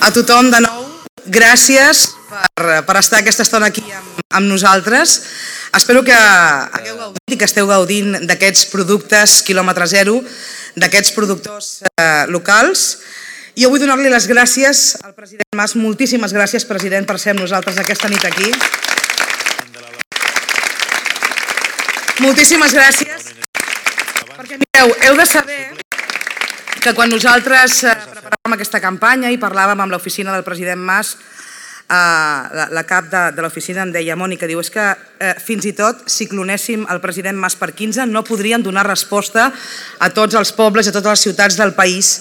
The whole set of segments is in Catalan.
A tothom de nou, gràcies per estar aquesta estona aquí amb nosaltres. Espero que hagueu gaudit i que esteu gaudint d'aquests productes quilòmetre zero, d'aquests productors locals. I jo vull donar-li les gràcies al president Mas. Moltíssimes gràcies, president, per ser amb nosaltres aquesta nit aquí. Moltíssimes gràcies. Perquè mireu, heu de saber que quan nosaltres preparàvem aquesta campanya i parlàvem amb l'oficina del president Mas, la cap de l'oficina em deia, Mònica, diu, és que fins i tot si clonéssim el president Mas per 15 no podrien donar resposta a tots els pobles i a totes les ciutats del país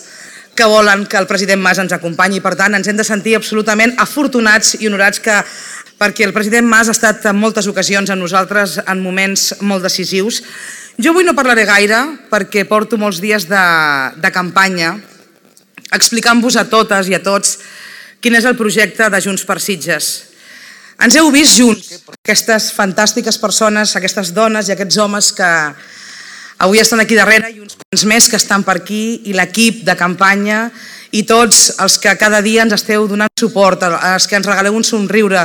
que volen que el president Mas ens acompanyi. Per tant, ens hem de sentir absolutament afortunats i honorats perquè el president Mas ha estat en moltes ocasions amb nosaltres en moments molt decisius. Jo avui no parlaré gaire perquè porto molts dies de campanya explicant-vos a totes i a tots quin és el projecte de Junts per Sitges. Ens heu vist junts, aquestes fantàstiques persones, aquestes dones i aquests homes que avui estan aquí darrere i uns quants més que estan per aquí, i l'equip de campanya i tots els que cada dia ens esteu donant suport, els que ens regaleu un somriure,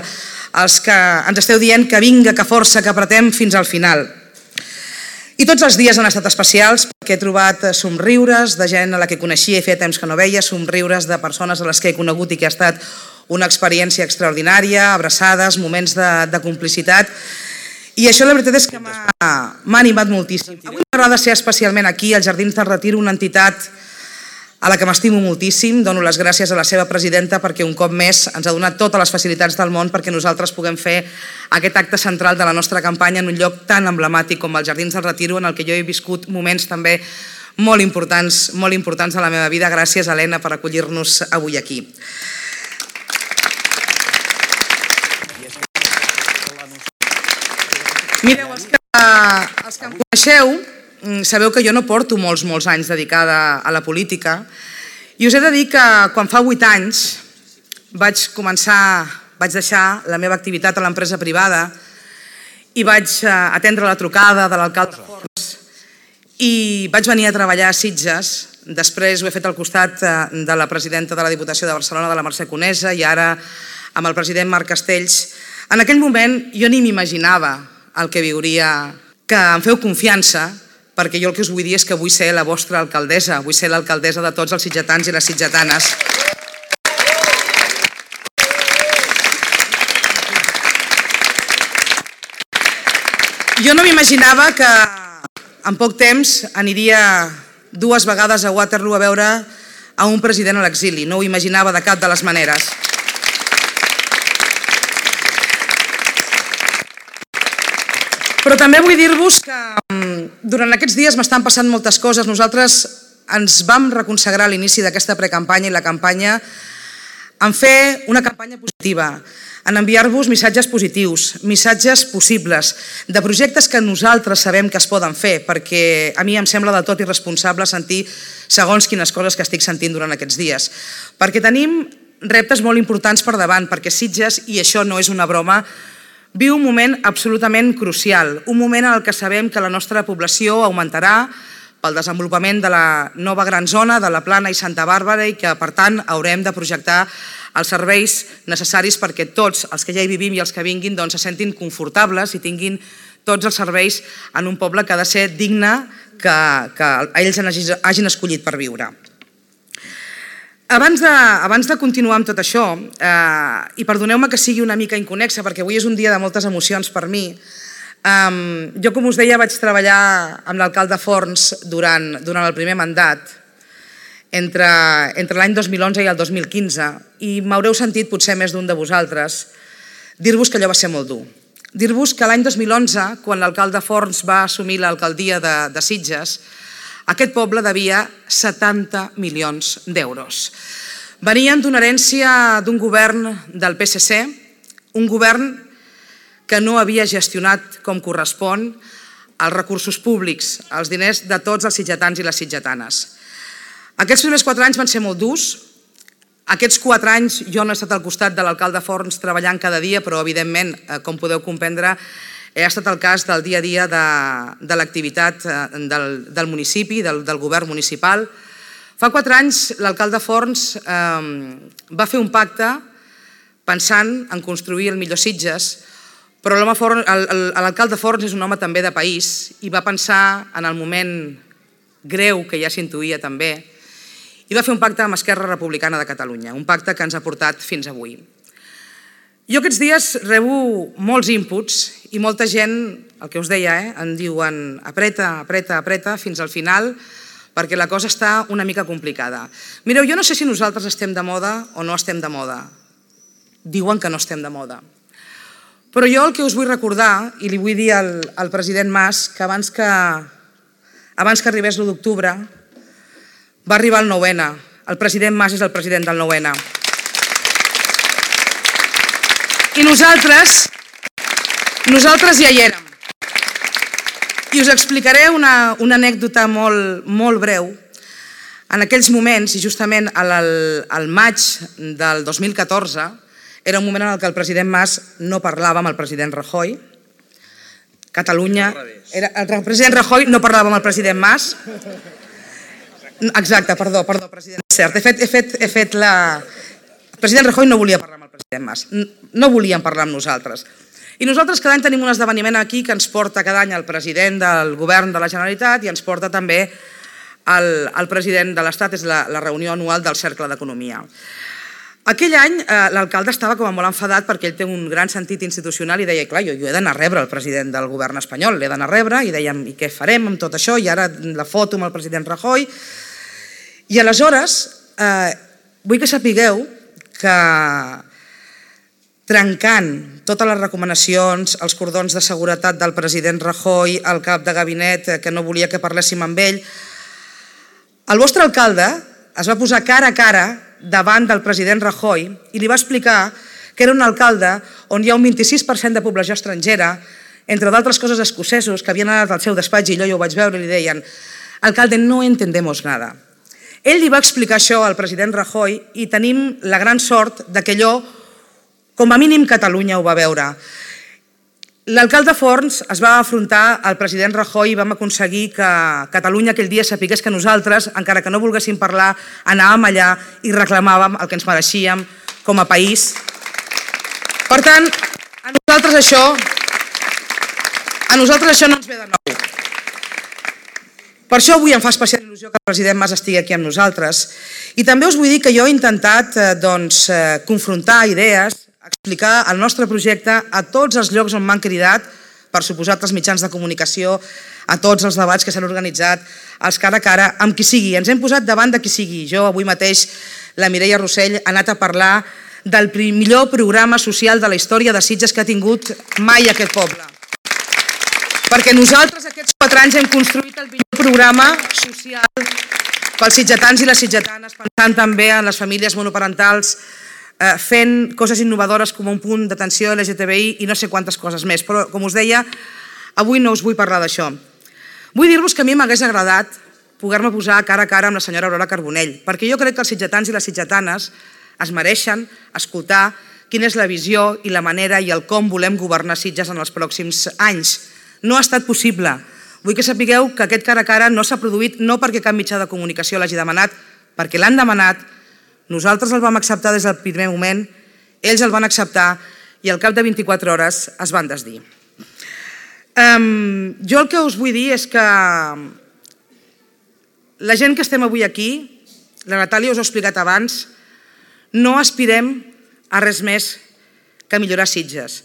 els que ens esteu dient que vinga, que força, que apretem fins al final. I tots els dies han estat especials perquè he trobat somriures de gent a la que coneixia i feia temps que no veia, somriures de persones a les que he conegut i que ha estat una experiència extraordinària, abraçades, moments de complicitat. I això la veritat és que m'ha animat moltíssim. Avui m'agrada ser especialment aquí, als Jardins del Retir, una entitat a la que m'estimo moltíssim. Dono les gràcies a la seva presidenta perquè un cop més ens ha donat totes les facilitats del món perquè nosaltres puguem fer aquest acte central de la nostra campanya en un lloc tan emblemàtic com els Jardins del Retir, en el que jo he viscut moments també molt importants de la meva vida. Gràcies, Helena, per acollir-nos avui aquí. Mireu, els que em coneixeu sabeu que jo no porto molts anys dedicada a la política i us he de dir que quan fa 8 anys vaig deixar la meva activitat a l'empresa privada i vaig atendre la trucada de l'alcalde de Forns i vaig venir a treballar a Sitges. Després ho he fet al costat de la presidenta de la Diputació de Barcelona, de la Mercè Conesa, i ara amb el president Marc Castells. En aquell moment jo ni m'imaginava el que viuria, que em feu confiança, perquè jo el que us vull dir és que vull ser la vostra alcaldessa, vull ser l'alcaldessa de tots els sitgetans i les sitgetanes. Jo no m'imaginava que en poc temps aniria 2 vegades a Waterloo a veure a un president a l'exili, no ho imaginava de cap de les maneres. Però també vull dir-vos que durant aquests dies m'estan passant moltes coses. Nosaltres ens vam reconsagrar a l'inici d'aquesta precampanya i la campanya en fer una campanya positiva, en enviar-vos missatges positius, missatges possibles, de projectes que nosaltres sabem que es poden fer, perquè a mi em sembla del tot irresponsable sentir segons quines coses que estic sentint durant aquests dies. Perquè tenim reptes molt importants per davant, perquè Sitges, i això no és una broma, viu un moment absolutament crucial, un moment en el que sabem que la nostra població augmentarà pel desenvolupament de la nova gran zona, de la Plana i Santa Bàrbara, i que, per tant, haurem de projectar els serveis necessaris perquè tots els que ja hi vivim i els que vinguin se sentin confortables i tinguin tots els serveis en un poble que ha de ser digne, que ells hagin escollit per viure. Abans de continuar amb tot això, i perdoneu-me que sigui una mica inconexa, perquè avui és un dia de moltes emocions per mi, jo, com us deia, vaig treballar amb l'alcalde Forns durant el primer mandat, entre l'any 2011 i el 2015, i m'haureu sentit, potser més d'un de vosaltres, dir-vos que allò va ser molt dur. Dir-vos que l'any 2011, quan l'alcalde Forns va assumir l'alcaldia de Sitges, aquest poble devia 70 milions d'euros. Venien d'una herència d'un govern del PSC, un govern que no havia gestionat com correspon els recursos públics, els diners de tots els sitgetans i les sitgetanes. Aquests primers 4 anys van ser molt durs. Aquests 4 anys jo no he estat al costat de l'alcalde Forns treballant cada dia, però evidentment, com podeu comprendre, ha estat el cas del dia a dia de l'activitat del municipi, del govern municipal. Fa 4 anys l'alcalde Forns va fer un pacte pensant en construir el millor Sitges, però l'alcalde Forns és un home també de país i va pensar en el moment greu que ja s'intuïa també i va fer un pacte amb Esquerra Republicana de Catalunya, un pacte que ens ha portat fins avui. Jo aquests dies rebo molts inputs i molta gent, el que us deia, em diuen apreta, apreta, apreta fins al final perquè la cosa està una mica complicada. Mireu, jo no sé si nosaltres estem de moda o no estem de moda. Diuen que no estem de moda. Però jo el que us vull recordar, i li vull dir al president Mas, que abans que arribés l'1 d'octubre va arribar el 9N. El president Mas és el president del 9N. I nosaltres ja hi érem. I us explicaré una anècdota molt breu. En aquells moments, i justament al maig del 2014, era un moment en què el president Mas no parlava amb el president Rajoy. El president Rajoy no parlava amb el president Mas. Exacte, perdó, president. Cert, he fet la... El president Rajoy no volia parlar amb el president Mas. No volien parlar amb nosaltres. I nosaltres cada any tenim un esdeveniment aquí que ens porta cada any el president del govern de la Generalitat i ens porta també el president de l'Estat, és la reunió anual del Cercle d'Economia. Aquell any l'alcalde estava com a molt enfadat perquè ell té un gran sentit institucional i deia, clar, jo he d'anar a rebre el president del govern espanyol, l'he d'anar a rebre i dèiem, i què farem amb tot això? I ara la foto amb el president Rajoy. I aleshores vull que sapigueu que trencant totes les recomanacions, els cordons de seguretat del president Rajoy, el cap de gabinet que no volia que parléssim amb ell, el vostre alcalde es va posar cara a cara davant del president Rajoy i li va explicar que era un alcalde on hi ha un 26% de població estrangera, entre d'altres coses escocesos que havien anat al seu despatx i jo ho vaig veure i li deien «Alcalde, no entendemos nada». Ell li va explicar això al president Rajoy i tenim la gran sort que allò, com a mínim Catalunya ho va veure. L'alcalde Forns es va afrontar al president Rajoy i vam aconseguir que Catalunya aquell dia sapigués que nosaltres, encara que no volguéssim parlar, anàvem allà i reclamàvem el que ens mereixíem com a país. Per tant, a nosaltres això no ens ve de nou. Per això avui em fa especial il·lusió que el president Mas estigui aquí amb nosaltres. I també us vull dir que jo he intentat confrontar idees, explicar el nostre projecte a tots els llocs on m'han cridat, per suposat als mitjans de comunicació, a tots els debats que s'han organitzat, els cara a cara, amb qui sigui. Ens hem posat davant de qui sigui. Jo avui mateix, la Mireia Rossell, ha anat a parlar del millor programa social de la història de Sitges que ha tingut mai aquest poble. Perquè nosaltres aquests 4 anys hem construït el millor programa social pels sitgetans i les sitgetanes, pensant també en les famílies monoparentals, fent coses innovadores com un punt d'atenció LGTBI i no sé quantes coses més. Però, com us deia, avui no us vull parlar d'això. Vull dir-vos que a mi m'hagués agradat poder-me posar cara a cara amb la senyora Aurora Carbonell, perquè jo crec que els sitgetans i les sitgetanes es mereixen escoltar quina és la visió i la manera i el com volem governar Sitges en els pròxims anys. No ha estat possible. Vull que sapigueu que aquest cara a cara no s'ha produït no perquè cap mitjà de comunicació l'hagi demanat, perquè l'han demanat, nosaltres el vam acceptar des del primer moment, ells el van acceptar i al cap de 24 hores es van desdir. Jo el que us vull dir és que la gent que estem avui aquí, la Natàlia us ho ha explicat abans, no aspirem a res més que a millorar Sitges.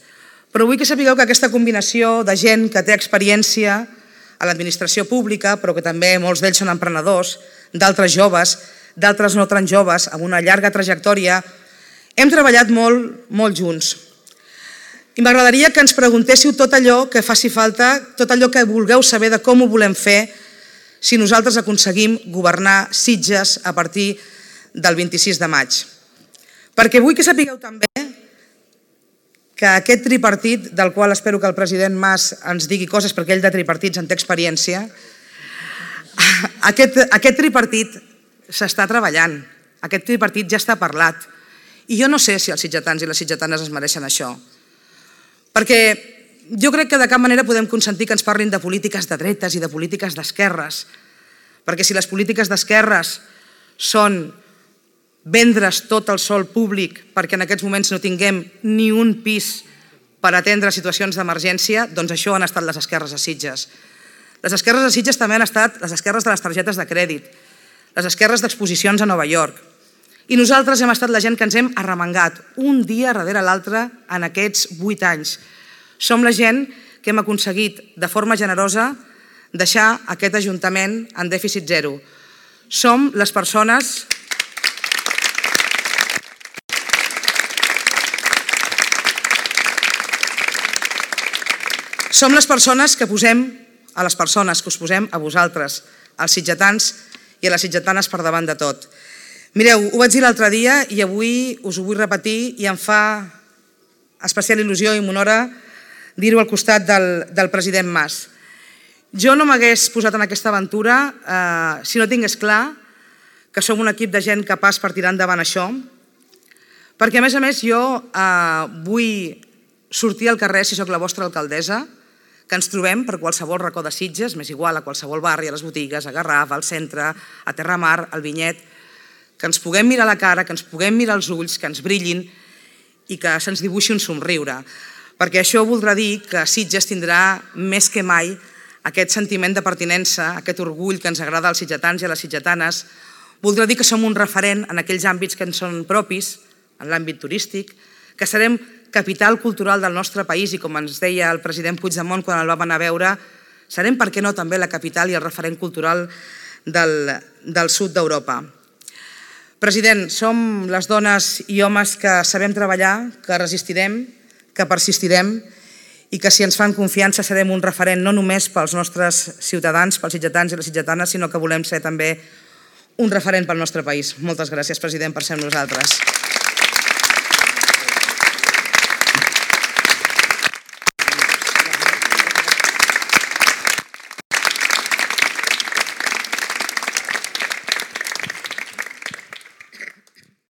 Però vull que sapigueu que aquesta combinació de gent que té experiència a l'administració pública, però que també molts d'ells són emprenedors, d'altres joves, d'altres no tan joves, amb una llarga trajectòria, hem treballat molt junts. I m'agradaria que ens preguntéssiu tot allò que faci falta, tot allò que vulgueu saber de com ho volem fer si nosaltres aconseguim governar Sitges a partir del 26 de maig. Perquè vull que sapigueu també que aquest tripartit, del qual espero que el president Mas ens digui coses perquè ell de tripartits en té experiència, aquest tripartit s'està treballant, aquest tripartit ja està parlat. I jo no sé si els sitgetans i les sitgetanes es mereixen això. Perquè jo crec que de cap manera podem consentir que ens parlin de polítiques de dretes i de polítiques d'esquerres. Perquè si les polítiques d'esquerres són vendre's tot el sòl públic perquè en aquests moments no tinguem ni un pis per atendre situacions d'emergència, doncs això han estat les esquerres a Sitges. Les esquerres a Sitges també han estat les esquerres de les targetes de crèdit, les esquerres d'exposicions a Nova York. I nosaltres hem estat la gent que ens hem arremangat un dia darrere l'altre en aquests 8 anys. Som la gent que hem aconseguit de forma generosa deixar aquest Ajuntament en dèficit zero. Som les persones que posem a les persones, que us posem a vosaltres, als sitgetans i a les sitgetanes per davant de tot. Mireu, ho vaig dir l'altre dia i avui us ho vull repetir i em fa especial il·lusió i m'honora dir-ho al costat del president Mas. Jo no m'hagués posat en aquesta aventura si no tingués clar que som un equip de gent capaç per tirar endavant això, perquè a més jo vull sortir al carrer si sóc la vostra alcaldessa, que ens trobem per qualsevol racó de Sitges, m'és igual, a qualsevol barri, a les botigues, a Garraf, al centre, a Terramar, al Vinyet, que ens puguem mirar a la cara, que ens puguem mirar als ulls, que ens brillin i que se'ns dibuixi un somriure. Perquè això voldrà dir que Sitges tindrà més que mai aquest sentiment de pertinença, aquest orgull que ens agrada als sitgetans i a les sitgetanes. Voldrà dir que som un referent en aquells àmbits que ens són propis, en l'àmbit turístic, que serem capital cultural del nostre país i, com ens deia el president Puigdemont quan el vam anar a veure, serem, per què no, també la capital i el referent cultural del sud d'Europa. President, som les dones i homes que sabem treballar, que resistirem, que persistirem i que si ens fan confiança serem un referent no només pels nostres ciutadans, pels sitgetans i les sitgetanes, sinó que volem ser també un referent pel nostre país. Moltes gràcies, president, per ser amb nosaltres.